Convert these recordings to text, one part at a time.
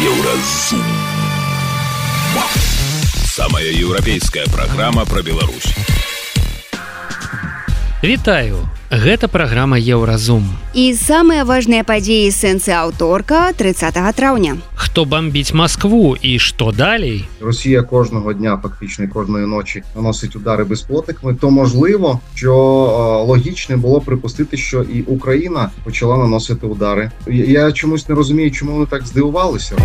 Еўразум. Самая еўрапейская праграма пра Беларусь. Вітаю! Гэта праграма Еўразум. І самыя важныя падзеі сэнсы аўторка 30 траўня. Хто бомбіць Москву і што далей? Росія кожного дня, фактично кожної ночі наносить удари безпілотниками, то можливо, що логічно було припустити, що і Україна почала наносити удари. Я чомусь не розумію, чому вони так здивувалися.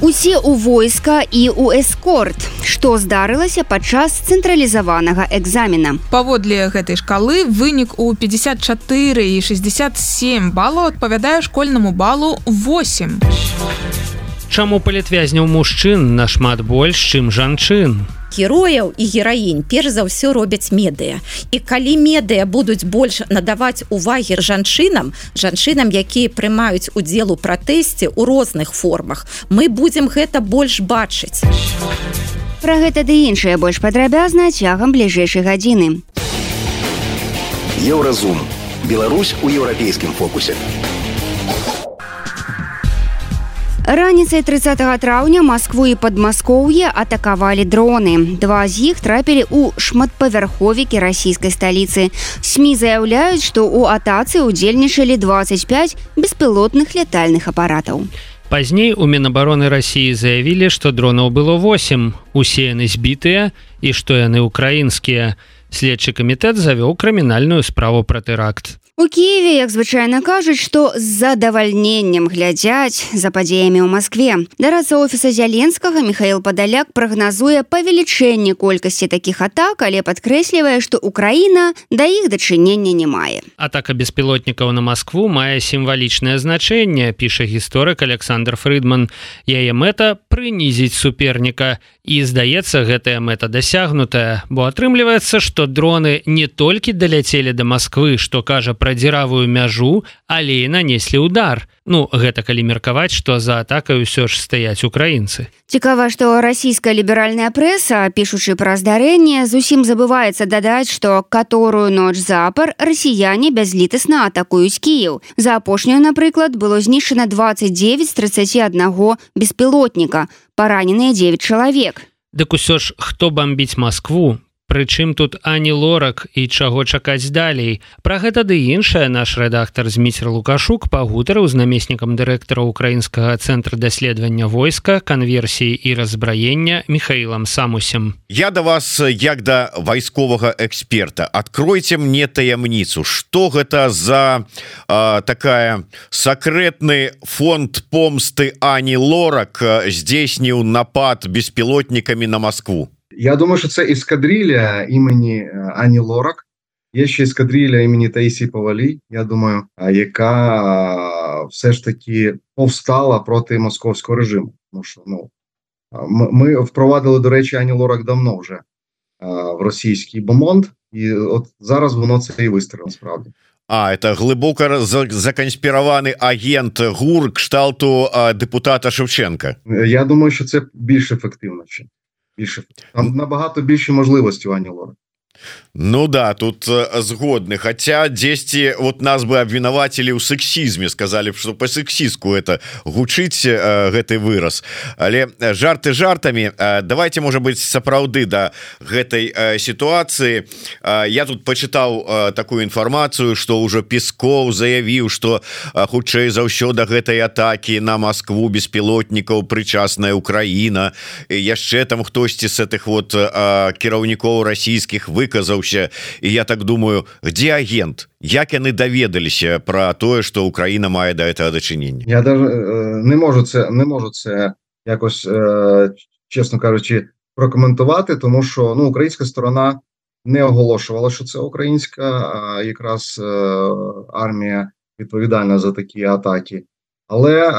Усе ў войска і ў эскорт. Што здарылася падчас цэнтралізаванага экзамена? Паводле гэтай шкалы вынік у 54 і 67 балаў адпавядае школьнаму балу 8. Чаму палітвязняў мужчын нашмат больш, чым жанчын? Герояў і гераінь перш за ўсё робяць медыя. І калі медыя будуць больш надаваць увагі жанчынам, якія прымаюць удзел у пратэсце ў розных формах, мы будзем гэта больш бачыць. Пра гэта ды іншае больш падрабязна цягам бліжэйшай гадзіны. Еўразум. Беларусь у еўрапейскім фокусе. Раніцай 30 траўня Маскву і Падмаскоўе атакавалі дроны. Два з іх трапілі ў шматпавярховікі расійскай сталіцы. СМІ заяўляюць, што ў атацы ўдзельнічалі 25 беспілотных лятальных апаратаў. Пазней у Мінабароны Расіі заявілі, што дронаў было 8, усе яны збітыя і што яны ўкраінскія. Следчы камітэт завёў крымінальную справу пра тэракт. У Киеве, як звычайна кажуць, што з задавальненнем глядзяць за падзеямі ў Маскве. Дарадца офіса Зяленскага Міхаіл Падаляк прагназуе павелічэнне колькасці такіх атак, але падкрэслівае, што Украіна да іх дачынення не мае. Атака беспілотнікаў на Маскву мае сімвалічнае значэнне, піша гісторык Александр Фрыдман. Яе мэта прынізіць суперніка. І, здаецца, гэтая мэта дасягнутая, бо атрымліваецца, што дроны не толькі даляцелі да Масквы, што кажа пра дзіравую мяжу, але і нанеслі ўдар. Гэта калі меркаваць, што за атакай усё ж стаяць украінцы. Цікава, што расійская ліберальная прэса, пішучы пра здарэнне, зусім забываецца дадаць, што каторую ноч запар расіяне бязлітасна атакуюць Кіеў. За апошнюю, напрыклад, было знішчана 29 з 31 беспілотніка, параненыя 9 чалавек. Дык усё ж, хто бомбіць Маскву? Прычым тут Ані Лорак і чаго чакаць далей? Пра гэта ды іншае наш рэдактар Зміцер Лукашук пагутарыў з намеснікам дырэктара Украінскага цэнтра даследавання войска, канверсіі і разбраення Міхаілам Самусем. Я да вас, як да вайсковага эксперта, адкройце мне таямніцу, што гэта за такая сакрэтны фонд помсты Ані Лорак здзейсніў напад беспілотнікамі на Москву? Я думаю, що це ескадрилья імені Ані Лорак. Є ще ескадрилья імені Таїсії Повалій, я думаю, яка все ж таки повстала проти московського режиму. Тому що, ми впровадили, до речі, Ані Лорак давно вже в російський бомонд, і от зараз воно це і вистрілило, насправді. Это глибоко законспірований агент ГУР кшталту депутата Шевченка. Я думаю, що це більш ефективно. Там набагато більші можливості у Ані Лорак. Да, тут згодны, хотя дзесьці вот нас бы абвінавацілі ў сексізме, сказали, что по сексістку это гучыць гэты выраз, але жарты жартамі. Давайте, может быть, сапраўды да гэтай ситуации. Я тут почитаў такую информацию, что уже Песков заявіў, что хутчэй за ўсё да гэтай атаки на Москву беспілотнікаў прычасная Украина, яшчэ там хтосьці с этих вот кіраўнікоў расійскіх выказаўся. І я так думаю, где агент? Як яны даведаліся про тое, што Україна мае да гэтага дачынення? Я даже не можу це якось, чесно кажучи, прокоментувати, тому що українська сторона не оголошувала, що це українська якраз армія відповідальна за такі атаки. Але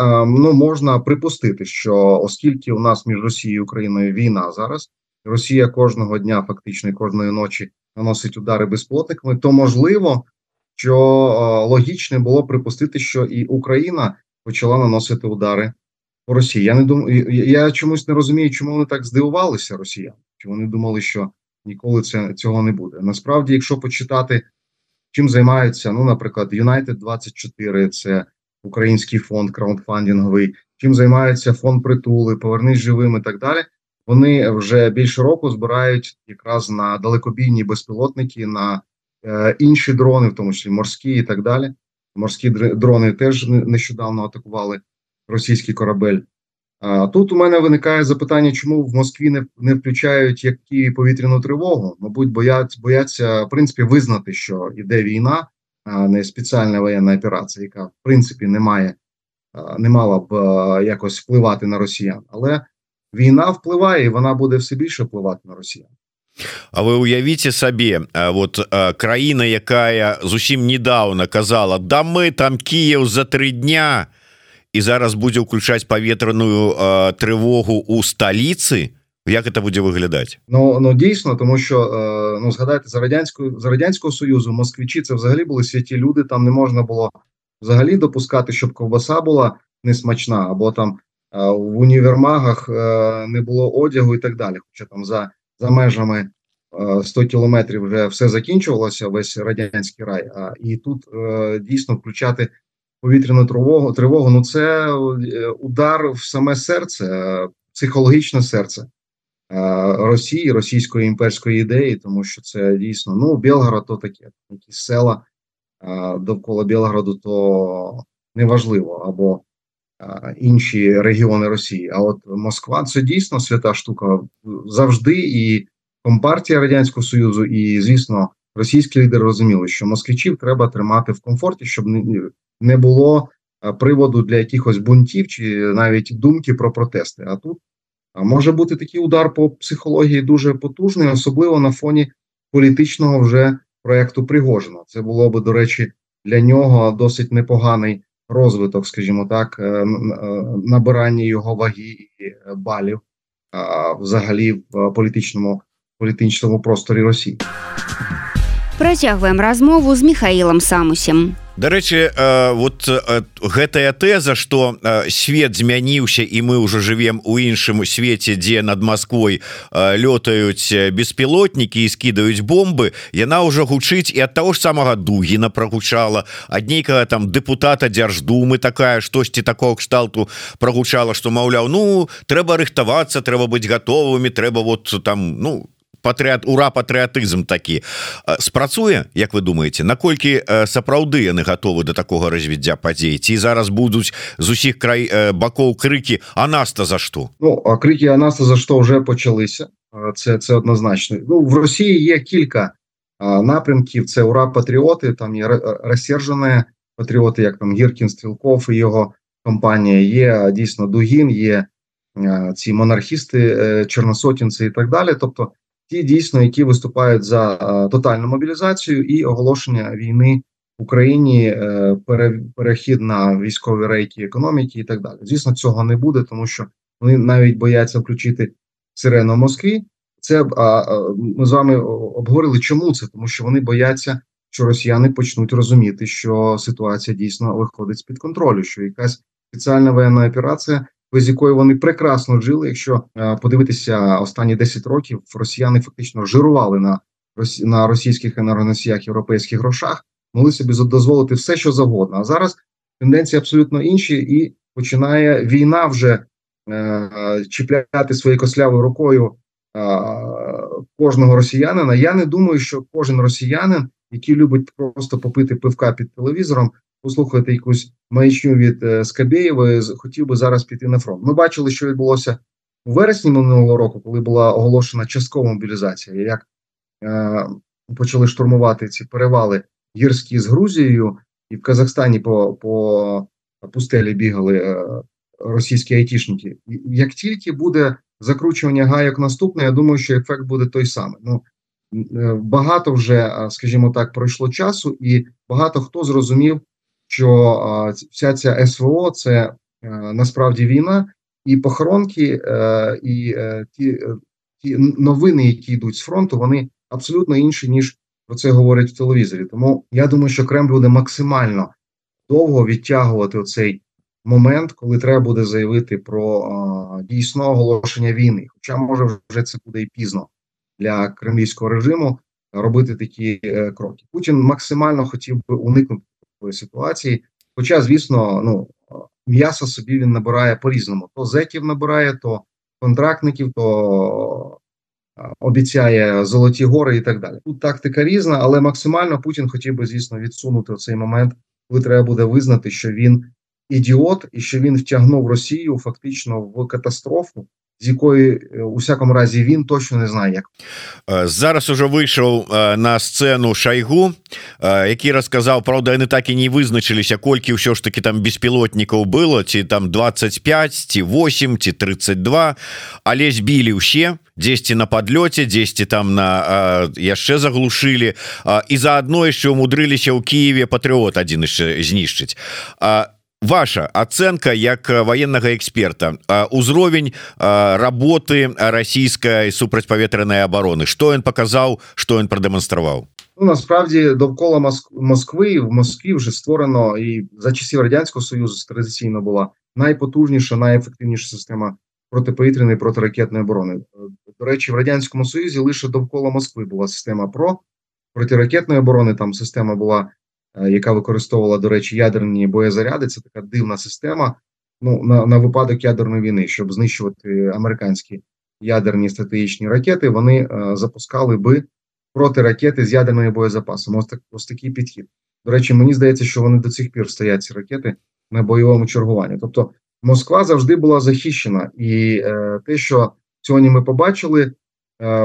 можна припустити, що оскільки у нас між Росією і Україною війна зараз, Росія кожного дня, фактично кожної ночі наносить удари безпілотниками, то можливо, що логічно було припустити, що і Україна почала наносити удари по Росії. Я чомусь не розумію, чому вони так здивувалися, росіяни. Чи вони думали, що ніколи цього не буде. Насправді, якщо почитати, чим займаються, наприклад, United 24, це український фонд краундфандинговий, чим займається фонд «Притули», «Повернись живим» і так далі. Вони вже більше року збирають якраз на далекобійні безпілотники, на інші дрони, в тому числі морські і так далі. Морські дрони теж нещодавно атакували російський корабель. Тут у мене виникає запитання, чому в Москві не включають які повітряну тривогу. Мабуть, бояться, в принципі, визнати, що йде війна, а не спеціальна воєнна операція, яка, в принципі, не мала б якось впливати на росіян. Але війна впливає, і вона буде все більше впливати на росіян. А вы уявіце сабе, вот краіна, якая зусім недавно казала, да мы там Киев за 3 дня, і зараз будзе ўключаць паветраную трывогу у сталіцы, як это будзе выглядаць? Ну дійсно, тому що, згадайте, за Радянського Союзу москвичі це взагалі були святі люди, там не можна було взагалі допускати, щоб ковбаса була несмачна, або там в універмагах не було одягу і так далі. Хоча там за межами 100 кілометрів вже все закінчувалося, весь радянський рай, і тут дійсно включати повітряну тривогу, ну це удар в саме серце, психологічне серце Росії, російської імперської ідеї, тому що це дійсно, ну, Білгород то таке, якісь села довкола Білгороду то неважливо, або інші регіони Росії. А от Москва – це дійсно свята штука завжди, і Компартія Радянського Союзу, і, звісно, російські лідери розуміли, що москвичів треба тримати в комфорті, щоб не було приводу для якихось бунтів чи навіть думки про протести. А тут може бути такий удар по психології дуже потужний, особливо на фоні політичного вже проєкту Пригожина. Це було би, до речі, для нього досить непоганий розвиток, скажімо так, набирання його ваги і балів взагалі в політичному просторі Росії. Працягваем размову з Михаілам Самусем. Дарэчы, вот гэтая тэза, што свет змяніўся і мы ўжо жывем у іншым свеце, дзе над Масквой лётаюць беспілотнікі і скідаюць бомбы, яна ўжо гучыць і ад таго ж самага Дугіна прагучала, ад нейкага там дэпутата Дзярждумы такая, штосьці такого кшталту прагучала, што, маўляў, ну, трэба рыхтавацца, трэба быць гатовымі, трэба вот там, ну, патрыятызм такі. Спрацуе, як вы думаеце, наколькі сапраўды яны гатовы да такога развіцця падзей? Ці зараз будуць з усіх бакоў крыкі «А нас-то за што?» Ну, а крики «А нас-то за що» вже почалися. Це однозначно. Ну, в Росії є кілька напрямків. Це «Ура, патріоти», там є розсержені патріоти, як там Гіркін, Стрілков і його компанія. Є дійсно Дугін, є ці монархісти, чорносотінці і так далі. Тобто ті дійсно, які виступають за тотальну мобілізацію і оголошення війни в Україні, перехід на військові рейки економіки і так далі. Звісно, цього не буде, тому що вони навіть бояться включити сирену в Москві. Це ми з вами обговорили, чому це, тому що вони бояться, що росіяни почнуть розуміти, що ситуація дійсно виходить з-під контролю, що якась спеціальна воєнна операція, без якої вони прекрасно жили. Якщо подивитися останні 10 років, росіяни фактично жирували на російських енергоносіях, європейських грошах, могли собі дозволити все, що завгодно. А зараз тенденції абсолютно інші, і починає війна вже чіпляти своєю кослявою рукою кожного росіянина. Я не думаю, що кожен росіянин, який любить просто попити пивка під телевізором, послухати якусь маячню від Скабєєвої, хотів би зараз піти на фронт. Ми бачили, що відбулося у вересні минулого року, коли була оголошена часткова мобілізація, як почали штурмувати ці перевали гірські з Грузією, і в Казахстані по пустелі бігали російські айтішники. Як тільки буде закручування гайок наступне, я думаю, що ефект буде той самий. Ну, багато вже, скажімо так, пройшло часу, і багато хто зрозумів, що вся ця СВО – це насправді війна, і похоронки, і ті новини, які йдуть з фронту, вони абсолютно інші, ніж про це говорять в телевізорі. Тому я думаю, що Кремль буде максимально довго відтягувати оцей момент, коли треба буде заявити про дійсне оголошення війни. Хоча, може, вже це буде і пізно для кремлівського режиму робити такі кроки. Путін максимально хотів би уникнути такої ситуації. Хоча, звісно, ну, м'яса собі він набирає по-різному. То зеків набирає, то контрактників, то обіцяє золоті гори і так далі. Тут тактика різна, але максимально Путін хотів би, звісно, відсунути цей момент, коли треба буде визнати, що він ідіот і що він втягнув Росію фактично в катастрофу, з якої, у всякому разі, він точно не знає, як. Зараз уже вийшов на сцену Шойгу, який розказав, правда, вони так і не визначилися, колькі ўсё ж таки там беспілотникаў было, ці там 25, ці 8, ці 32, але збілі ўсе, дзесьці на подлёце, дзесьці там на яшчэ заглушылі, і заодно яшчэ умудрыліся ў Киеве Патрыот адзін яшчэ знішчыць. Ваша ацэнка як военнага эксперта, узровень работы расійскай супрацьпаветранай обороны, што ён паказаў, што ён прадэманстраваў? Ну, насправді довкола Москви, в Москві вже створено, і за часів Радянського Союзу традиційно була найпотужніша, найефективніша система протиповітряної і протиракетної оборони. До речі, в Радянському Союзі лише довкола Москви була система протиракетної оборони, там система була, яка використовувала, до речі, ядерні боєзаряди. Це така дивна система, ну, на випадок ядерної війни, щоб знищувати американські ядерні стратегічні ракети, вони запускали би протиракети з ядерними боєзапасами. Ось такий підхід. До речі, мені здається, що вони до цих пір стоять, ці ракети, на бойовому чергуванні. Тобто Москва завжди була захищена. І те, що сьогодні ми побачили,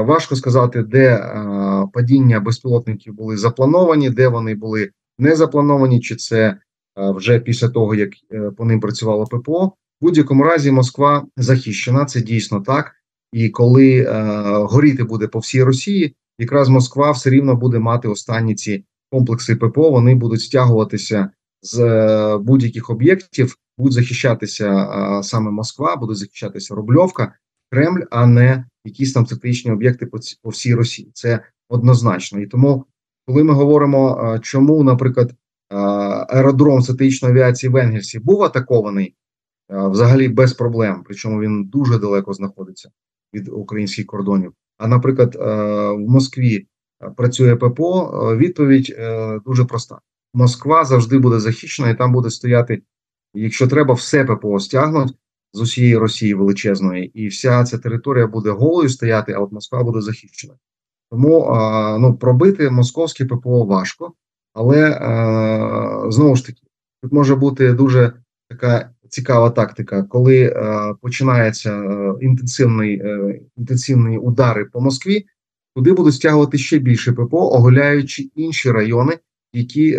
важко сказати, де падіння безпілотників були заплановані, де вони були не заплановані, чи це вже після того, як по ним працювало ППО. В будь-якому разі Москва захищена, це дійсно так. І коли горіти буде по всій Росії, якраз Москва все рівно буде мати останні ці комплекси ППО, вони будуть стягуватися з будь-яких об'єктів, будуть захищатися саме Москва, буде захищатися Рубльовка, Кремль, а не якісь там стратегічні об'єкти по всій Росії. Це однозначно. І тому, коли ми говоримо, чому, наприклад, аеродром стратегічної авіації в Енгельсі був атакований взагалі без проблем, причому він дуже далеко знаходиться від українських кордонів, а, наприклад, в Москві працює ППО, відповідь дуже проста. Москва завжди буде захищена, і там буде стояти, якщо треба, все ППО стягнуть з усієї Росії величезної, і вся ця територія буде голою стояти, а от Москва буде захищена. Тому пробити московське ППО важко, але, знову ж таки, тут може бути дуже така цікава тактика, коли починаються інтенсивні удари по Москві, туди будуть стягувати ще більше ППО, оголяючи інші райони, які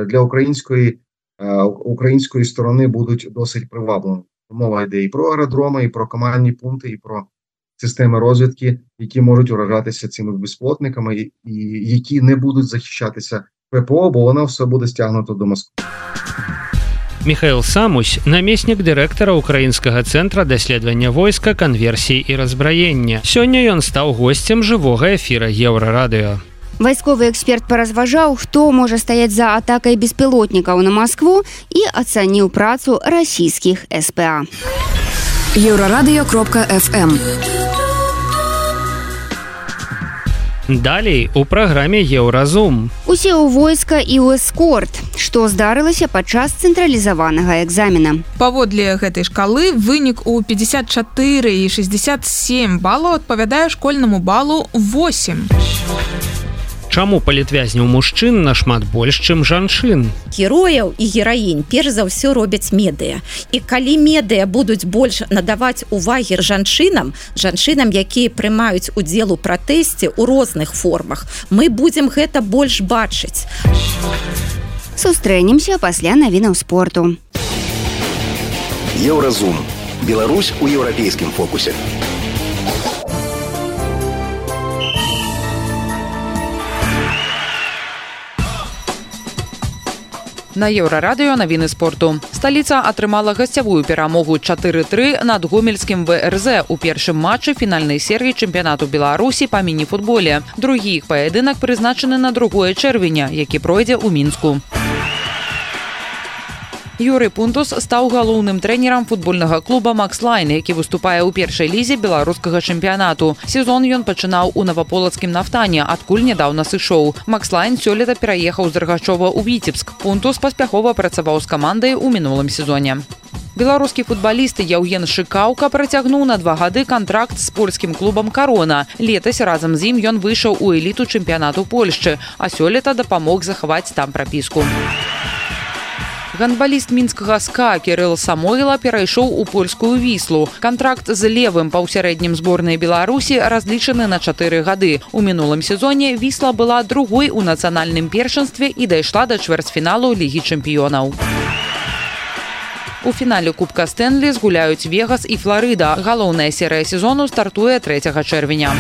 для української сторони будуть досить привабливими. Мова йде і про аеродроми, і про командні пункти, і про системи розвідки, які можуть уражатися цими безпілотниками, і які не будуть захищатися ППО, бо воно все буде стягнуто до Москви. Михаил Самусь, намеснік дырэктара Украінскага цэнтра даследавання войска, канверсіі і разбраення. Сёння ён стаў госцем жывога эфіра Еўрарадыё. Вайсковы эксперт паразважаў, хто можа стаяць за атакай беспілотнікаў на Маскву і ацаніў працу расійскіх СПА. Еўрарадыё.фм. Далей у праграме Еўразум. Усе ў войска і ў эскорт. Што здарылася падчас цэнтралізаванага экзамена? Паводле гэтай шкалы вынік у 54 і 67 балаў адпавядае школьнаму балу 8. Чаму палітвязняў мужчын нашмат больш, чым жанчын? Герояў і гераінь перш за ўсё робяць медыя. І калі медыя будуць больш надаваць увагі жанчынам, якія прымаюць удзел у пратэсце ў розных формах, мы будзем гэта больш бачыць. Сустрэнемся пасля навінаў спорту. Еўразум. Беларусь у еўрапейскім фокусе. На Еўрарадыё навіны спорту. Сталіца атрымала гасцявую перамогу 4-3 над гомельскім ВРЗ у першым матчы фінальнай серыі чэмпіянату Беларусі па міні-футболе. Другі іх паядынак прызначаны на 2 чэрвеня, які пройдзе ў Мінску. Юрый Пунтус стаў галоўным трэнерам футбольнага клуба «Макслайн», які выступае ў першай лізе беларускага чэмпіянату. Сезон ён пачынаў у Наваполацкім «Нафтане», адкуль нядаўна сышоў. «Макслайн» сёлета пераехаў з Рагачова ў Віцебск. Пунтус паспяхова працаваў з камандай у мінулым сезоне. Беларускі футбаліст Яўген Шыкаўка працягнуў на 2 гады кантракт з польскім клубам «Карона». Летась разам з ім ён выйшаў у эліту чэмпіянату Польшчы, а сёлета дапамог захаваць там прапіску. Гандбаліст мінскага СКА Кірыл Самойла перайшоў у польскую Віслу. Кантракт з левым паўсярэднім зборнай Беларусі разлічаны на 4 гады. У мінулым сезоне Вісла была другой у нацыянальным першынстве і дайшла да чвэрцьфіналу Лігі чэмпіёнаў. У фінале Кубка Стэнлі згуляюць Вегас і Фларыда. Галоўная серыя сезону стартуе 3 чэрвеня.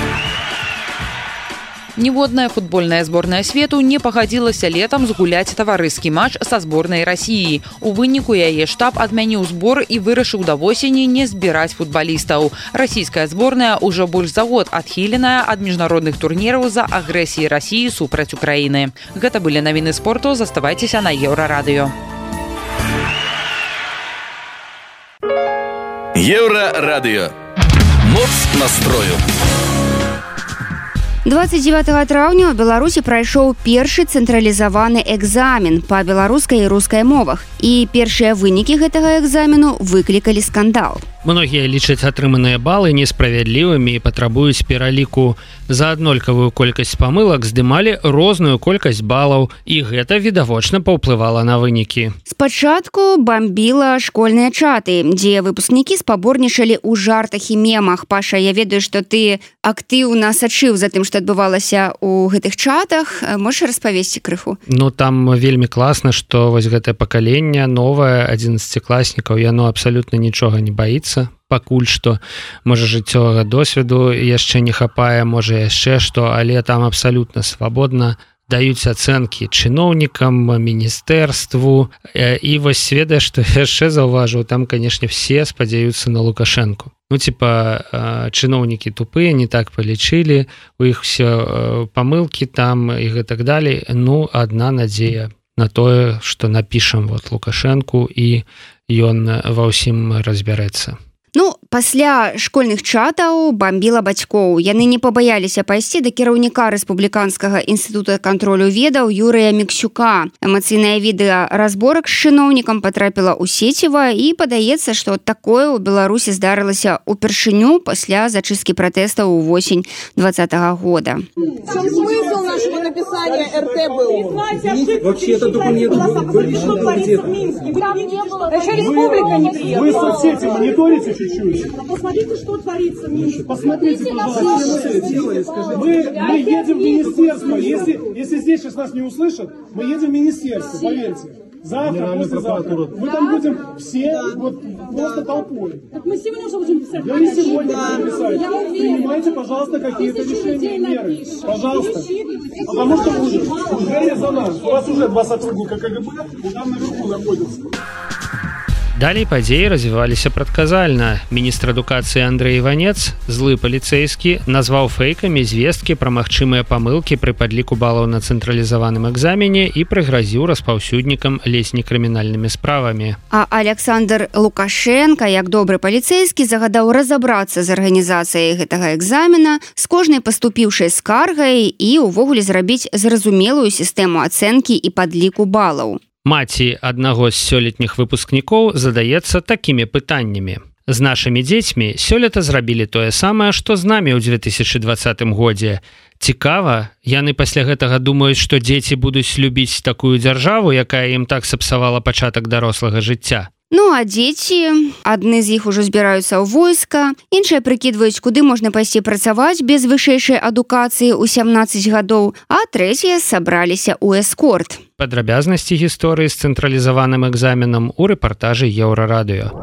Ніводная футбольная зборная свету не пагадзілася летам згуляць таварыскі матч са зборнай Расіі. У выніку яе штаб адмяніў збор і вырашыў да восені не збіраць футбалістаў. Расійская зборная ўжо больш за год адхіленая ад міжнародных турніраў за агрэсіі Расіі супраць Украіны. Гэта былі навіны спорту, заставайцеся на Еўрарадыё. Еўрарадыё. Моц настрою. 29 траўня ў Беларусі прайшоў першы цэнтралізаваны экзамен па беларускай і рускай мовах. І першыя вынікі гэтага экзамену выклікалі скандал. Многія лічаць атрыманыя балы несправядлівымі і патрабуюць пераліку. За аднолькавую колькасць памылак здымалі розную колькасць балаў, і гэта відавочна паўплывала на вынікі. Спачатку бамбіла школьныя чаты, дзе выпускнікі спаборнічалі ў жартах і мемах. Паша, я ведаю, што ты актыўна сачыў за тым, што адбывалася ў гэтых чатах. Можаш распавесці крыху? Ну, там вельмі класна, што вось гэтае пакаленне новае, 11класнікаў, яно абсалютна нічога не баіцца. Пакуль што, можа, жыццёвага досведу яшчэ не хапае, можа, яшчэ што, але там абсалютна свабодна даюць ацэнкі чыноўнікам, міністэрству. І вось ведаеш, што яшчэ заўважыў, там, канешне, все спадзяюцца на Лукашэнку. Ну, типа, чыноўнікі тупыя, не так палічылі, у іх все памылкі там і гэтак далей. Ну, адна надзея на тое, што напішам вот Лукашэнку, і ён ва ўсім разбярэцца. Ну, пасля школьных чатаў бамбіла бацькоў. Яны не пабаяліся пайсці да кіраўніка Рэспубліканскага інстытута кантролю ведаў Юрыя Міксюка. Эмацыйнае відэа разборак з чыноўнікам патрапіла ў сеціва, і падаецца, што такое ў Беларусі здарылася ўпершыню пасля зачысткі пратэстаў увосень 2020 года. В чем смысл нашего написания РТБУ? Вообще это документ что творится в Минске? Там не было. Еще республика не приехала. Вы соцсети мониторите чуть-чуть? Посмотрите, что творится в Минске. Посмотрите, пожалуйста. Мы едем в министерство. Если здесь сейчас нас не услышат, мы едем в министерство, поверьте. Завтра, послезавтра. Мы там будем все вот просто толпой. Так мы сегодня уже будем писать. Да не сегодня будем писать. Принимайте, пожалуйста, какие-то решения, меры. Пожалуйста. Потому что уже за нас. У вас уже 2 сотрудника КГБ, и там наверху находятся. Далей падзеі развіваліся прадказальна. Міністр адукацыі Андрэй Іванец, злы паліцэйскі, назваў фэйкамі звесткі пра магчымыя памылкі пры падліку балаў на цэнтралізаваным экзамене і прыгразіў распаўсюднікам ледзь не крымінальнымі справамі. А Александр Лукашенко, як добры паліцэйскі, загадаў разабрацца з арганізацыяй гэтага экзамена, з кожнай паступіўшай скаргай і ўвогуле зрабіць зразумелую сістэму ацэнкі і падліку балаў. Маці аднаго з сёлетніх выпускнікоў задаецца такімі пытаннямі. З нашымі дзецьмі сёлета зрабілі тое самае, што з намі ў 2020 годзе. Цікава, яны пасля гэтага думаюць, што дзеці будуць любіць такую дзяржаву, якая ім так сапсавала пачатак дарослага жыцця. Ну, а дзеці, адны з іх ужо збіраюцца ў войска, іншыя прыкідваюць, куды можна пайсці працаваць без вышэйшай адукацыі ў 17 гадоў, а трэція сабраліся ў эскорт. Падрабязнасці гісторыі з цэнтралізаваным экзаменам у рэпартажы Еўрарадыё.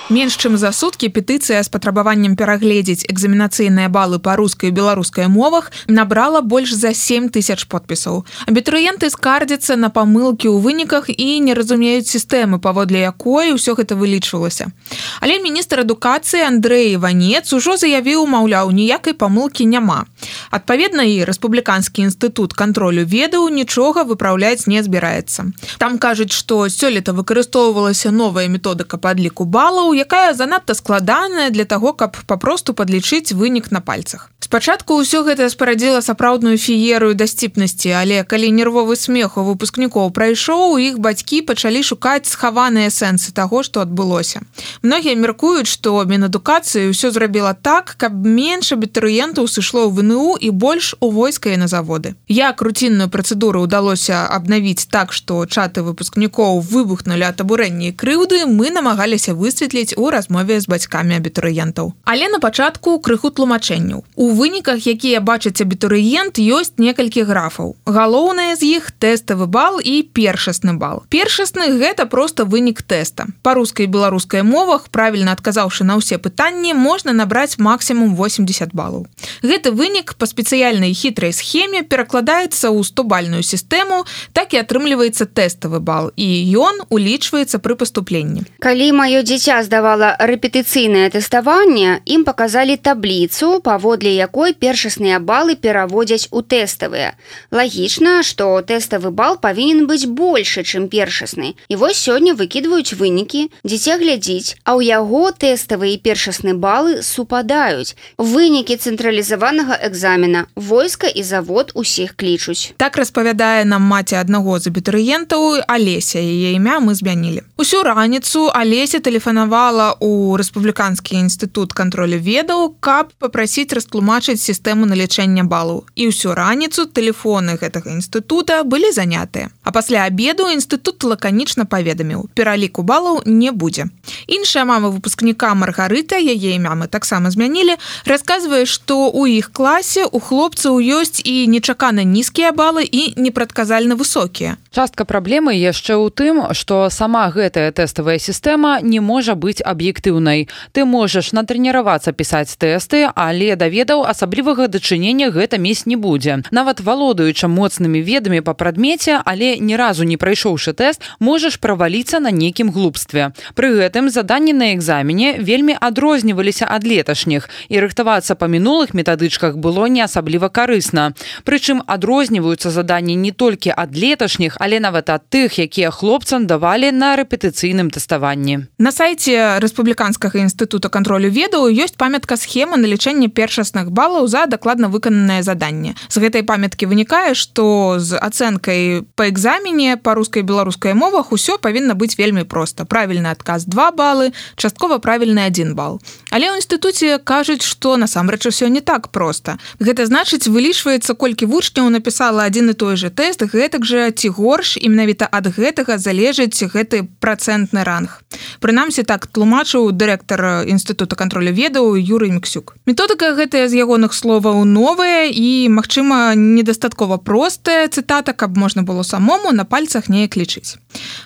Менш чым за суткі петыцыя з патрабаваннем перагледзець экзаменацыйныя балы па рускай і беларускай мовах набрала больш за 7 000 подпісаў. Абітурыенты скардзяцца на памылкі ў выніках і не разумеюць сістэмы, паводле якой ўсё гэта вылічвалася. Але міністр адукацыі Андрэй Іванец ужо заявіў, маўляў, ніякай памылкі няма. Адпаведна, і Рэспубліканскі інстытут кантролю ведаў нічога выпраўляць не збіраецца. Там кажуць, што сёлета выкарыстоўвалася новая методыка падліку балаў, якая занадта складаная для таго, каб папросту падлічыць вынік на пальцах. Спачатку ўсё гэта спарадзіла сапраўдную феерыю дасціпнасці, але калі нервовы смех у выпускнікоў прайшоў, іх бацькі пачалі шукаць схаваныя сэнсы таго, што адбылося. Многія мяркуюць, што Мінадукацыі ўсё зрабіла так, каб менш абітурыентаў сышло ў ВНУ і больш у войска і на заводы. Як руцінную працэдуру ўдалося абнавіць так, што чаты выпускнікоў выбухнулі ад абурэння і крыўды, мы намагаліся высветліць у размове з бацькамі абітурыентаў. Але на пачатку крыху тлумачэнняў. У выніках, якія бачыць абітурыент, ёсць некалькі графаў. Галоўнае з іх тэставы бал і першасны бал. Першасны – гэта проста вынік тэста. Па рускай і беларускай мовах, правільна адказаўшы на ўсе пытанні, можна набраць максімум 80 балаў. Гэты вынік па спецыяльнай хітрай схеме перакладаецца ў 100-бальную сістэму, так і атрымліваецца тэставы бал, і ён улічваецца пры паступленні. Калі маё дзіця здавала рэпетыцыйнае тэставанне, ім паказалі табліцу, паводле якой першасныя балы пераводзяць у тэставыя. Лагічна, што тэставы бал павінен быць большы, чым першасны. І вось сёння выкідваюць вынікі, дзіця глядзіць, а ў яго тэставыя і першасны балы супадаюць. Вынікі цэнтралізаванага экзамена, войска і завод усіх клічуць. Так распавядае нам маці аднаго з абітурыентаў Алеся, яе імя мы змянілі. Усю раніцу Алеся тэлефанавала ў Рэспубліканскі інстытут кантролю ведаў, каб папрасіць растлумачыць сістэму налічэння балаў. І ўсю раніцу тэлефоны гэтага інстытута былі занятыя. А пасля абеду інстытут лаканічна паведаміў, пераліку балаў не будзе. Іншая мама выпускніка Маргарыта, яе імя мы таксама змянілі, расказвае, што ў іх класе у хлопцаў ёсць і нечакана нізкія балы і непрадказальна высокія. Частка праблемы яшчэ ў тым, што сама гэтая тэставая сістэма не можа быць аб'ектыўнай. Ты можаш натрэніравацца пісаць тэсты, але да ведаў асаблівага дачынення гэта мець не будзе. Нават валодаючы моцнымі ведамі па прадмеце, але ні разу не прайшоўшы тэст, можаш праваліцца на нейкім глупстве. Пры гэтым заданні на экзамене вельмі адрозніваліся ад леташніх, і рыхтавацца па мінулых метадычках было не асабліва карысна. Прычым адрозніваюцца заданні не толькі ад леташніх, але нават ад тых, якія хлопцам давалі на рэпетыцыйным тэставанні. На сайце Рэспубліканскага інстытута кантролю ведаў ёсць памятка схемы налічэння першасных балаў за дакладна выкананае заданне. З гэтай памяткі вынікае, што з ацэнкай па экзамене па рускай і беларускай мовах усё павінна быць вельмі проста. Правільны адказ 2 балы, часткова правільны 1 бал. Але ў інстытуце кажуць, што насамрэч усё не так проста. Гэта значыць, вылічваецца, колькі вучняў напісала адзін і той жа тэст, гэтак жа ці горш, і менавіта ад гэтага залежыць гэты працэнтны ранг. Прынамсі так тлумачыў дырэктар інстытута кантролю ведаў Юрый Міксюк. Методыка гэтая з ягоных словаў новая і, магчыма, недастаткова простая, цытата, каб можна было самому на пальцах неяк лічыць.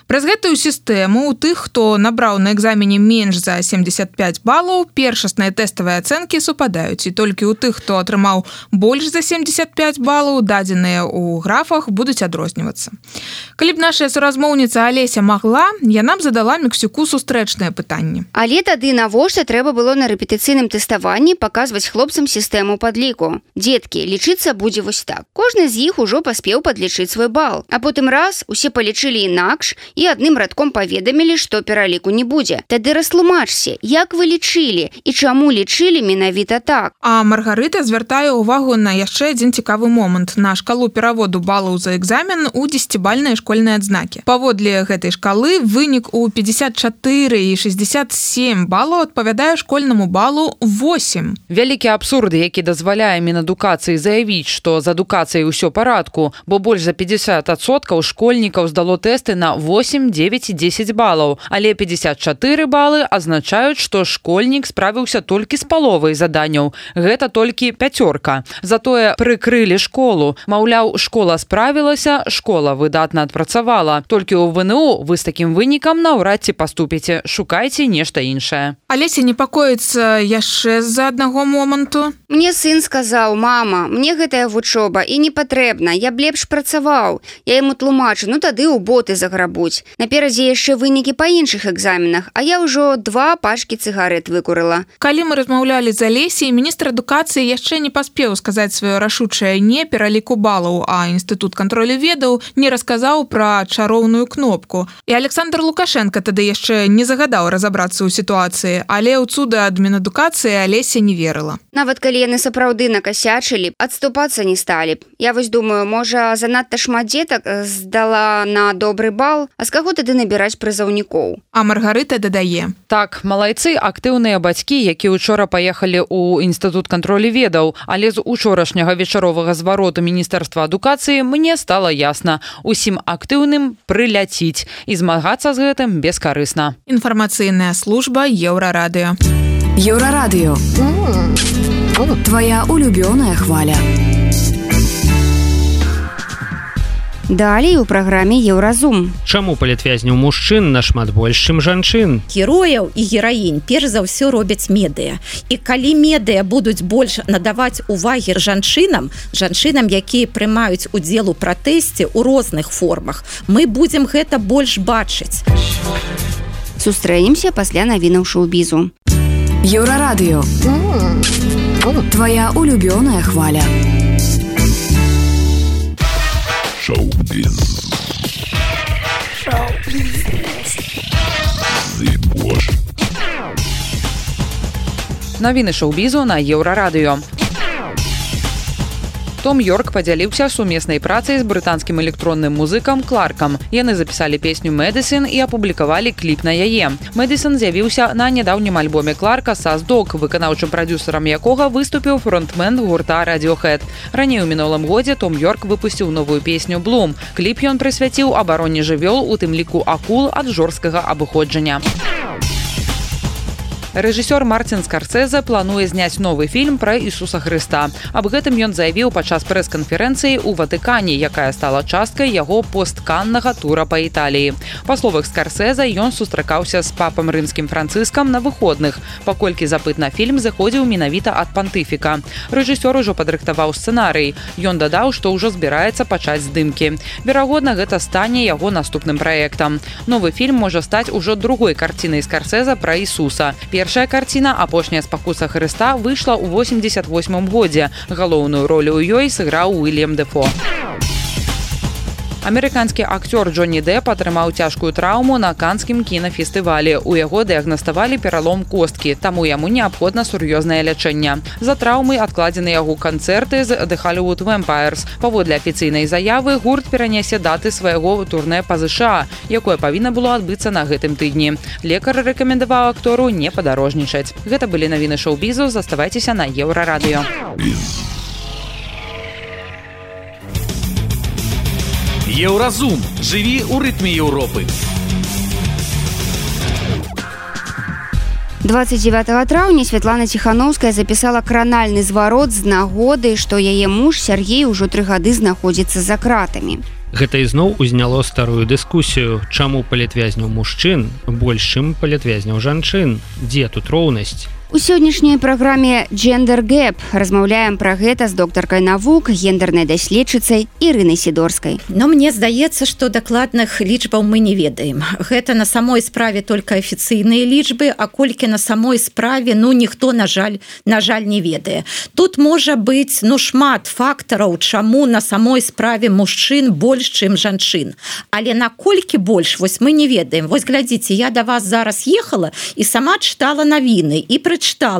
Праз гэтую сістэму у тых, хто набраў на экзамене менш за 75 балаў, першасныя тэставыя ацэнкі супадаюць, і толькі ў тых, хто атрымаў больш за 75 балаў, дадзеныя ў графах будуць адрознівацца. Калі б наша суразмоўніца Алеся магла, яна б задала Міксюку сустрэчнае пытанне. Але тады навошта трэба было на рэпетыцыйным тэставанні паказваць хлопцам сістэму падліку? Дзеткі, лічыцца будзе вось так. Кожны з іх ужо паспеў падлічыць свой бал. А потым раз, усе палічылі інакш і адным радком паведамілі, што пераліку не будзе. Тады растлумачце, як вы лічылі і чаму лічылі менавіта так? А Маргарыта звяртае ўвагу на яшчэ адзін цікавы момант. На шкалу пераводу балаў за экзамен у 10-бальныя школьныя адзнакі. Паводле гэтай шкалы вынік у 54 і 67 балаў адпавядае школьнаму балу 8. Вялікі абсурд, які дазваляе Мінадукацыі заявіць, што з адукацыяй усё парадку, бо больш за 50% школьнікаў здало тэсты на 8, 9 і 10 балаў, але 54 балы азначаюць, што школьнік справіўся толькі з паловай заданняў. Гэта толькі 5. Затое прыкрылі школу. Маўляў, школа справілася, школа выдатна адпрацавала. Толькі ў ВНУ вы з такім вынікам наўрад ці паступіце. Шукайце нешта іншае. Алеся непакоіцца яшчэ з-за аднаго моманту. Мне сын сказаў: мама, мне гэтая вучоба і не патрэбна, я б лепш працаваў. Я яму тлумачу, ну тады ў боты заграбуць. Наперадзе яшчэ вынікі па іншых экзаменах, а я ўжо 2 пачкі цыгарэт выкурыла. Калі мы размаўлялі з Алесей, міністр адукацыі яшчэ не паспеў сказаць сваё рашучае не пераліку балаў, а інстытут кантролю ведаў не расказаў пра чароўную кнопку. І Александр Лукашенко тады яшчэ не загадаў разабрацца ў сітуацыі, але ў цуда ад Мінадукацыі Алеся не верыла. Нават калі яны сапраўды накасячылі, адступацца не сталі б. Я вось думаю, можа, занадта шмат дзетак здала на добры бал, а з каго тады набіраць прызаўнікоў? А Маргарыта дадае. Так, малайцы, актыўныя бацькі, які учора паехалі ў інстытут кантролю ведаў, але з учорашняга вечаровага звароту Міністэрства адукацыі мне стала ясна. Усім актыўным прыляціць і змагацца з гэтым бескарысна. Інфармацыйная служба Еўрарадыё. Еўрарадыё. Твоя улюбёная хваля. Далей у праграме Еўразум. Чаму палітвязняў мужчын нашмат больш, чым жанчын? Герояў і гераінь перш за ўсё робяць медыя. І калі медыя будуць больш надаваць увагі жанчынам, якія прымаюць удзел у пратэсце ў розных формах, мы будзем гэта больш бачыць. Сустрэнемся пасля навінаў шоу-бізу. Еўрарадыё. Твоя улюбёная хваля. Шоу-біз. Навіны шоу-бізу на Еўрарадыё. Том Йорк падзяліўся сумеснай працай з брытанскім электронным музыкам Кларкам. Яны запісалі песню «Медисын» і апублікавалі кліп на яе. «Медисын» з'явіўся на нядаўнім альбоме Кларка «Саз Дог», выканаўчым прадюсерам якога выступіў фронтмен гурта Radiohead. Раней у мінулым годзе Том Йорк выпусціў новую песню «Bloom». Кліп ён прысвяціў абароне жывёл, у тым ліку акул ад жорсткага абыходжання. Рэжысёр Мартин Скарсезе плануе зняць новы фільм пра Ісуса Хрыста. Аб гэтым ён заявіў падчас прэс-канферэнцыі ў Ватыкане, якая стала часткай яго постканнага тура па Італіі. Па словах Скарсезе, ён сустракаўся з папам рымскім Францыскам на выходных, паколькі запыт на фільм заходзіў менавіта ад пантыфіка. Рэжысёр ужо падрыхтаваў сцэнарый. Ён дадаў, што ўжо збіраецца пачаць здымкі. Верагодна, гэта стане яго наступным праектам. Новы фільм можа стаць ужо другой карцінай Скарсезе пра Ісуса. Першая карціна «Апошняя спакуса Хрыста» выйшла ў 88 годзе. Галоўную ролю ў ёй сыграў Уильям Дефо. Амерыканскі акцёр Джонні Депп атрымаў цяжкую траўму на канскім кінафестывалі. У яго дыягнаставалі пералом косткі, таму яму неабходна сур'ёзнае лячэнне. За траўмай адкладзены яго канцэрты з The Hollywood Vampires. Паводле афіцыйнай заявы, гурт перанясе даты свайго турнэ па ЗША, якое павінна было адбыцца на гэтым тыдні. Лекар рэкамендаваў актору не падарожнічаць. Гэта былі навіны шоу-бізу, заставайцеся на Еўрарадыё. Еўразум. Жыві ў рытме Еўропы. 29 траўня Святлана Ціханаўская запісала кранальны зварот з нагоды, што яе муж Сяргей ужо 3 гады знаходзіцца за кратамі. Гэта ізноў узняло старую дыскусію, чаму палітвязняў мужчын больш, чым палітвязняў жанчын. Дзе тут роўнасць? У сённяшняй праграме «Gender Gap» размаўляем пра гэта з доктаркай навук, гендернай даследчыцай Ірынай Сідорскай. Но мне здаецца, што дакладных лічбаў мы не ведаем. Гэта на самой справе толькі афіцыйныя лічбы, а колькі на самой справе, ніхто, на жаль, не ведае. Тут можа быць, шмат фактараў, чаму на самой справе мужчын больш, чым жанчын. Але наколькі больш, вось мы не ведаем. Вось глядзіце, я да вас зараз ехала і сама чытала навіны і прачытала,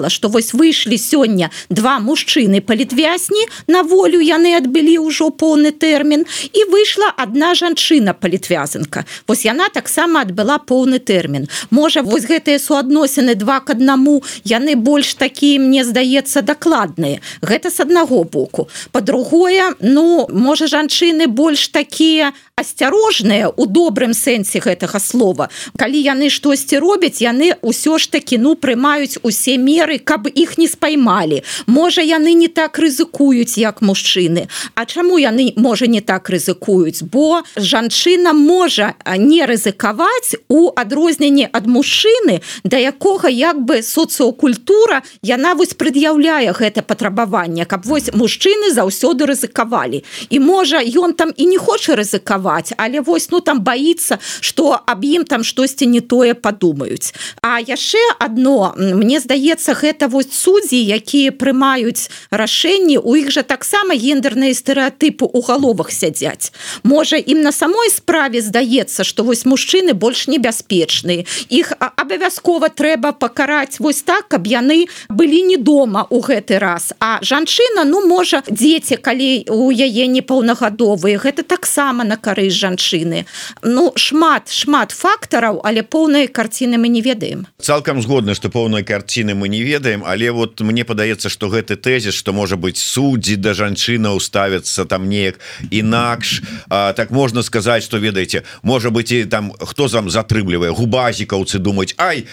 што вось выйшлі сёння 2 мужчыны палітвязні, на волю яны адбылі ўжо поўны тэрмін, і выйшла 1 жанчына палітвязанка. Вось яна таксама адбыла поўны тэрмін. Можа, вось гэтыя суадносіны 2 к 1, яны больш такія, мне здаецца, дакладныя. Гэта з аднаго боку. Па-другое, можа, жанчыны больш такія асцярожныя у добрым сэнсе гэтага слова. Калі яны штосьці робяць, яны ўсё ж такі, прымаюць усе усе меры, каб іх не спаймалі. Можа, яны не так рызыкуюць, як мужчыны. А чаму яны, можа, не так рызыкуюць? Бо жанчына можа не рызыкаваць у адрозненні ад мужчыны, да якога як бы соцыокультура, яна вось прад'яўляе гэта патрабаванне, каб вось мужчыны заўсёды рызыкавалі. І можа, ён там і не хоча рызыкаваць, але вось, ну, там баіцца, што аб ім там штосьці не тое падумаюць. А яшчэ адно, мне здаецца, гэта вось суддзі, якія прымаюць рашэнні, у іх жа таксама гендерныя стэрэатыпы ў галовах сядзяць. Можа, ім на самой справе здаецца, што вось мужчыны больш небяспечныя. Іх абавязкова трэба пакараць вось так, каб яны былі не дома ў гэты раз. А жанчына, ну, можа, дзеці, калі у яе непаўнагадовыя, гэта таксама на карысць жанчыны. Ну, шмат фактараў, але поўнай карціны мы не ведаем. Цалкам згодна, што поўнай карціны мы не ведаем, але вот мне падаецца, што гэты тэзіс, што можа быць суддзі да жанчынаў ставяцца там неяк інакш, так можна сказаць, што ведаеце, можа быць і там хто там затрымлівае, губазікаўцы думаюць, ай,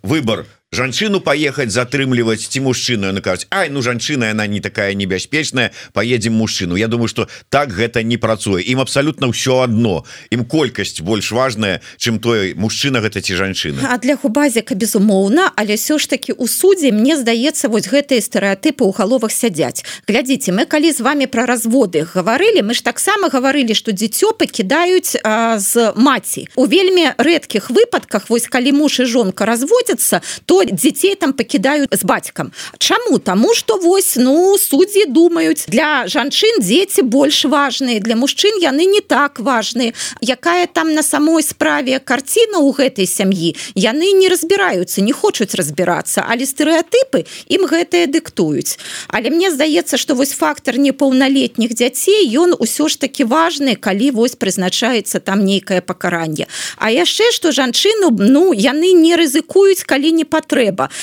выбор жанчыну паехаць затрымліваць ці мужчыну, яны кажуць, ай, ну жанчына, яна не такая небяспечная, паедзем мужчыну. Я думаю, што так гэта не працуе. Ім абсалютна ўсё адно. Ім колькасць больш важная, чым той мужчына гэта ці жанчына. А для губазіка безумоўна, але ўсё ж такі ў судзе, мне здаецца, вось гэтыя стэрэатыпы ў галовах сядзяць. Глядзіце, мы калі з вами пра разводы гаварылі, мы ж таксама гаварылі, што дзіцё пакідаюць з маці. У вельмі рэдкіх выпадках, вось калі муж і жонка разводзяцца, то дзяцей там пакідаюць з бацькам. Чаму? Таму што вось, ну, суддзі думаюць, для жанчын дзеці больш важныя, для мужчын яны не так важныя. Якая там на самой справе карціна ў гэтай сям'і, яны не разбіраюцца, не хочуць разбірацца, але стэрэатыпы ім гэтыя дыктуюць. Але мне здаецца, што вось фактар непаўналетніх дзяцей, ён усё ж такі важны, калі вось прызначаецца там нейкае пакаранне. А яшчэ, што жанчыну, ну, яны не рызыкуюць, калі не патрэба.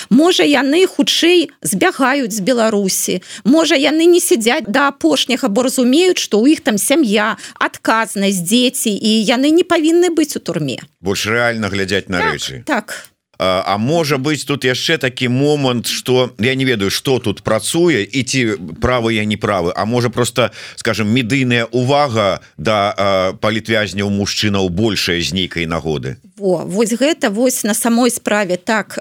Можа, яны хутчэй збягаюць з Беларусі. Можа, яны не сядзяць да апошняга, бо разумеюць, што ў іх там сям'я, адказнасць, дзеці, і яны не павінны быць у турме. Больш рэальна глядзяць на рэчы. Так. А можа быць тут яшчэ такі момант, што я не ведаю, што тут працуе і ці правы я не правы, а можа просто, скажем, медыйная увага да палітвязняў мужчынаў большая з нейкай нагоды. Вось гэта вось на самой справе так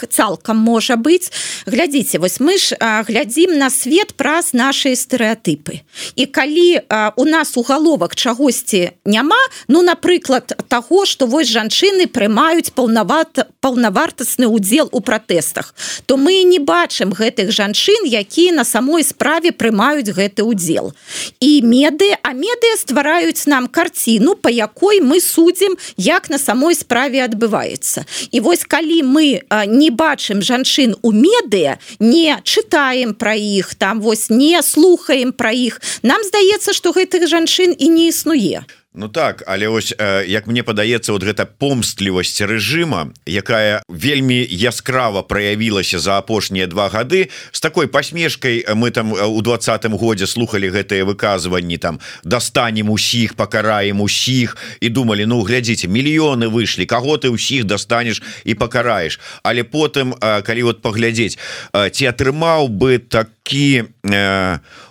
цалкам можа быць. Глядзіце, вось мы ж глядзім на свет праз нашыя стэрэатыпы. І калі у нас у галовах чагосьці няма, ну, напрыклад, таго, што вось жанчыны прымаюць паўнавартасны ўдзел у пратэстах, то мы не бачым гэтых жанчын, якія на самой справе прымаюць гэты ўдзел. І медыа ствараюць нам карціну, па якой мы судзім, як на самой справе адбываецца. І вось калі мы не бачым жанчын у медыа, не чытаем пра іх, там вось не слухаем пра іх, нам здаецца, што гэтых жанчын і не існуе. Ну так, але ось, як мне падаецца, вот гэта помстлівасць рэжыма, якая вельмі яскрава праявілася за апошнія 2 гады, з такой пасмешкай мы там у 20-м годзе слухалі гэтыя выказванні, там, дастанем усіх, пакараем усіх, і думалі, ну, глядзіце, мільёны выйшлі, каго ты ўсіх дастанеш і пакараеш. Але потым, калі вот паглядзець, ці атрымаў бы такі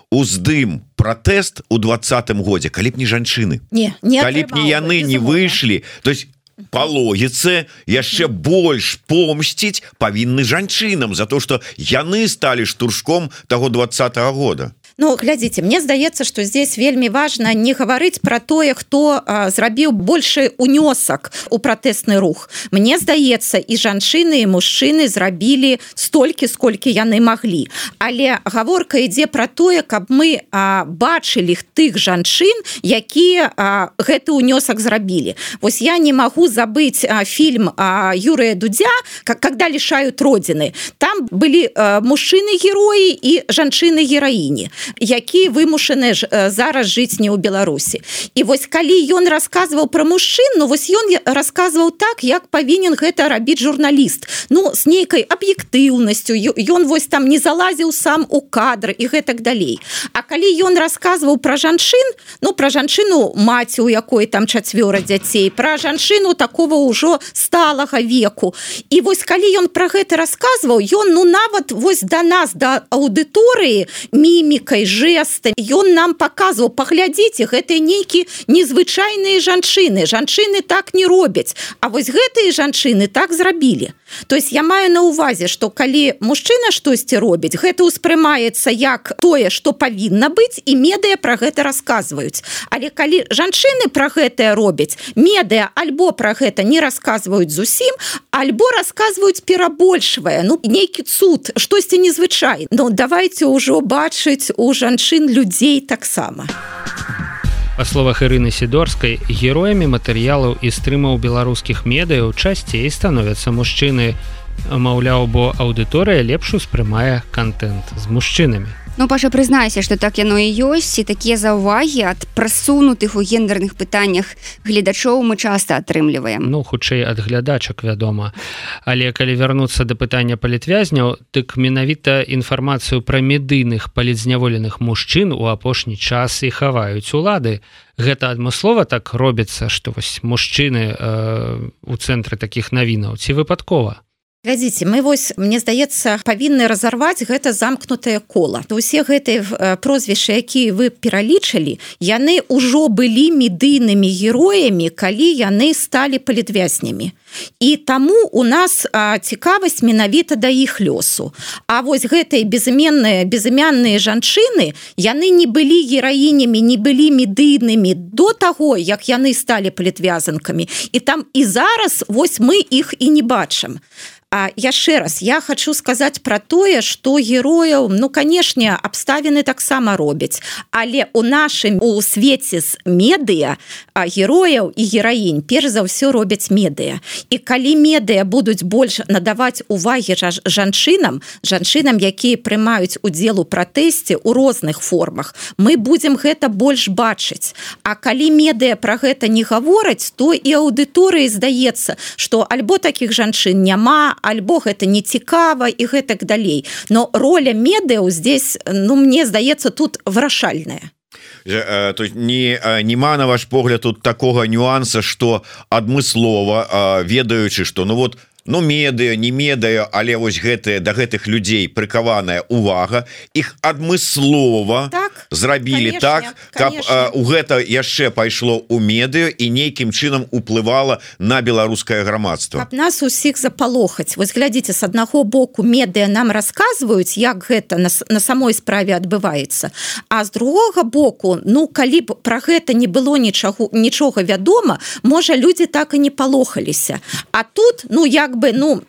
уздым пратэст у 20-м годзе, калі б не жанчыны, калі б не яны не выйшлі, то есть по логіцы яшчэ больш помсціць павінны жанчынам за то, што яны сталі штуршком таго 20-го года. Ну, глядзіце, мне здаецца, што здесь вельмі важна не гаварыць пра тое, хто зрабіў большы унёсак у пратэсны рух. Мне здаецца, і жанчыны, і мужчыны зрабілі столькі, сколькі яны маглі. Але гаворка ідзе пра тое, каб мы бачылі тых жанчын, якія гэты унёсак зрабілі. Вось я не магу забыць фільм Юрыя Дудзя «Когда лишают родины». Там былі мужчыны-героі і жанчыны-гераіні. які вымушаны зараз жыць не ў Беларусі. І вось калі ён расказваў пра мужчын, ну вось ён расказваў так, як павінен гэта рабіць журналіст. Ну, з нейкай аб'ектыўнасцю, ён вось там не залазіў сам у кадр і гэтак далей. А калі ён расказваў пра жанчын, ну, пра жанчыну маці, у якой там 4 дзяцей, пра жанчыну такого ўжо сталага веку. І вось калі ён пра гэта расказваў, ён, ну, нават вось да нас, да аўдыторыі, мімікай, жэстам, ён нам паказваў, паглядзіце, гэта нейкі незвычайныя жанчыны. Жанчыны так не робяць, а вось гэтыя жанчыны так зрабілі. То есть я маю на увазе, што калі мужчына штосьці робіць, гэта ўспрымаецца як тое, што павінна быць, і медыя пра гэта расказваюць. Але калі жанчыны пра гэтае робяць, медыя альбо пра гэта не расказваюць зусім, альбо расказваюць перабольшвае, ну, нейкі цуд, штосьці незвычайнае. Ну, давайте ўжо бачыць у жанчын людзей таксама. Па словах Ірыны Сідорскай, героямі матэрыялаў і стрымаў беларускіх медыяў часцей становяцца мужчыны. Маўляў, бо аўдыторыя лепш успрымае кантэнт з мужчынамі. Ну, Паша, прызнайся, што так яно і ёсць, і такія заўвагі ад прасунутых у гендерных пытаннях гледачоў мы часта атрымліваем. Ну, хутчэй ад глядачак, вядома. Але калі вярнуцца да пытання палітвязняў, дык менавіта інфармацыю пра медыйных палітзняволеных мужчын у апошні час і хаваюць улады. Гэта адмыслова так робіцца, што вось мужчыны у цэнтры такіх навінаў, ці выпадкова? Глядзіце, мы вось, мне здаецца, павінны разарваць гэта замкнутае кола. Усе гэтыя прозвішчы, якія вы пералічылі, яны ўжо былі медыйнымі героямі, калі яны сталі палітвязнямі. І таму у нас цікавасць менавіта да іх лёсу. А вось гэтыя безымянныя жанчыны, яны не былі гераінямі, не былі медыйнымі до таго, як яны сталі палітвязанкамі. І там і зараз вось мы іх і не бачым. А яшчэ раз, я хочу сказаць пра тое, што герояў, ну, канешне, абставіны таксама робяць, але у нашым у свеце з медыя герояў і гераінь перш за ўсё робяць медыя. І калі медыя будуць больш надаваць увагі жанчынам, якія прымаюць удзел у пратэсце ў розных формах, мы будзем гэта больш бачыць. А калі медыя пра гэта не гавораць, то і аўдыторыі здаецца, што альбо такіх жанчын няма, альбо гэта не цікава і гэтак далей. Но роля медыяў здесь, ну, мне здаецца, тут вырашальная. То есть нема, на ваш погляд, тут такога нюанса, што адмыслова, ведаючы, што, ну вот, ну, медыя, не медыя, але вось гэтыя, да гэтых людзей прыкаваная увага, іх адмыслова зрабілі так, каб у гэта яшчэ пайшло ў медыю і нейкім чынам уплывала на беларускае грамадства. Каб нас усіх запалохаць. Вось глядзіце, з аднаго боку медыя нам расказваюць, як гэта на самой справе адбываецца, а з другога боку, ну, калі б пра гэта не было нічога вядома, можа, людзі так і не палохаліся. А тут, ну, як бы, ну,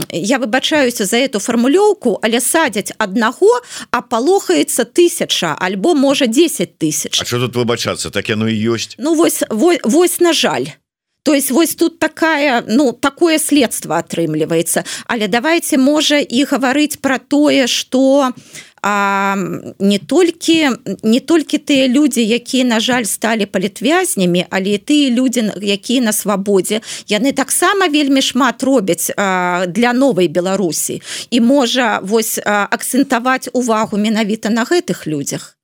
я выбачаюся за эту фармулёўку, але садзяць аднаго, а палохаецца 1000, альбо, можа, 10 000. А што тут выбачацца? Так яно і ёсць. Ну, вось, на жаль. То есть вось тут такая, ну, такое следства атрымліваецца. Але давайте, можа, і гаварыць пра тое, што не толькі тыя людзі, якія, на жаль, сталі палітвязнямі, але і тыя людзі, якія на свабодзе, яны таксама вельмі шмат робяць для новай Беларусі. І можа вось акцэнтаваць увагу менавіта на гэтых людзях.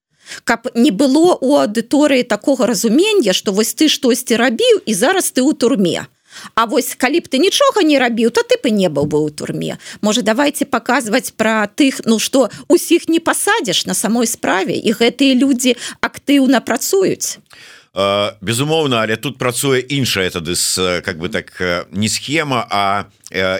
Каб не было у аўдыторыі такога разумення, што вось ты штосьці рабіў і зараз ты ў турме. А вось калі б ты нічога не рабіў, то ты б не быў бы ў турме. Можа, давайте паказваць пра тых, ну, што усіх не пасадзіш на самой справе, і гэтыя людзі актыўна працуюць. Безумоўна, але тут працуе іншая тады, как бы так, не схема, а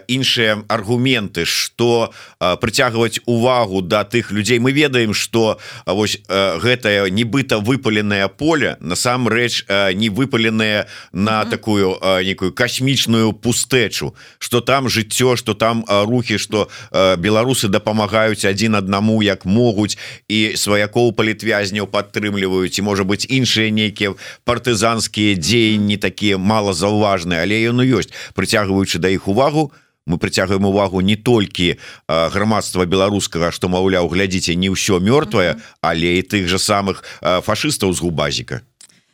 іншыя аргументы, што прыцягваць увагу да тых людзей. Мы ведаем, што вось гэтае нібыта выпаленае поле насамрэч не выпаленае на такую некую касмічную пустэчу, што там жыццё, што там рухі, што беларусы дапамагаюць адзін аднаму як могуць, і сваякоў палітвязняў падтрымліваюць, і, можа быць, іншыя нейкія партызанскія дзеянні такія малазаўважныя, але яно ёсць, прыцягваючы да іх увагу. мы прыцягваем увагу не толькі грамадства беларускага, што маўляў, глядзіце, не ўсё мёртвае, але і тых жа самых фашыстаў з губазіка.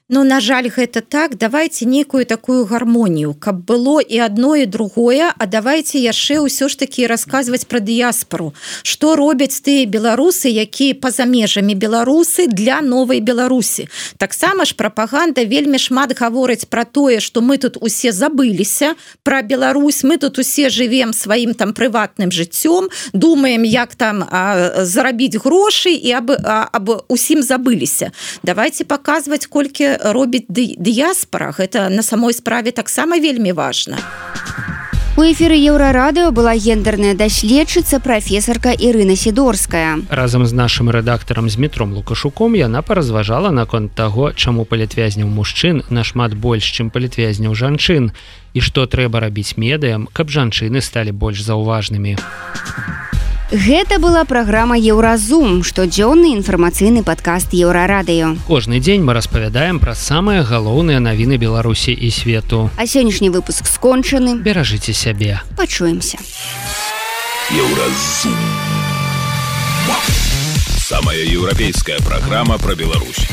Ну, на жаль, гэта так. Давайте некую такую гармонію, каб было і одно, і другое, а давайте яшчэ ўсё ж таки расказваць пра дыяспору. Што робяць тыя беларусы, якія па-за межамі беларусы для новай Беларусі. Таксама ж прапаганда вельмі шмат гаворыць пра тое, што мы тут усе забыліся пра Беларусь, мы тут усе жывем сваім там прыватным жыццём, думаем, як там зарабіць грошы і аб усім забыліся. Давайте паказваць, колькі робіць дыяспора. Гэта на самой справе таксама вельмі важна. У эфіры Еўрарадыё была гендерная даследчыца прафесарка Ірына Сідорская. Разам з нашым рэдактарам Змітром Лукашуком яна паразважала наконт таго, чаму палітвязняў мужчын нашмат больш, чым палітвязняў жанчын, і што трэба рабіць медыям, каб жанчыны сталі больш заўважнымі. Гэта была праграма Еўразум, штодзённы інфармацыйны падкаст Еўрарадыё. Кожны дзень мы распавядаем пра самыя галоўныя навіны Беларусі і свету. А сённяшні выпуск скончаны. Беражыце сябе. Пачуемся. Еўразум. Самая еўрапейская праграма пра Беларусь.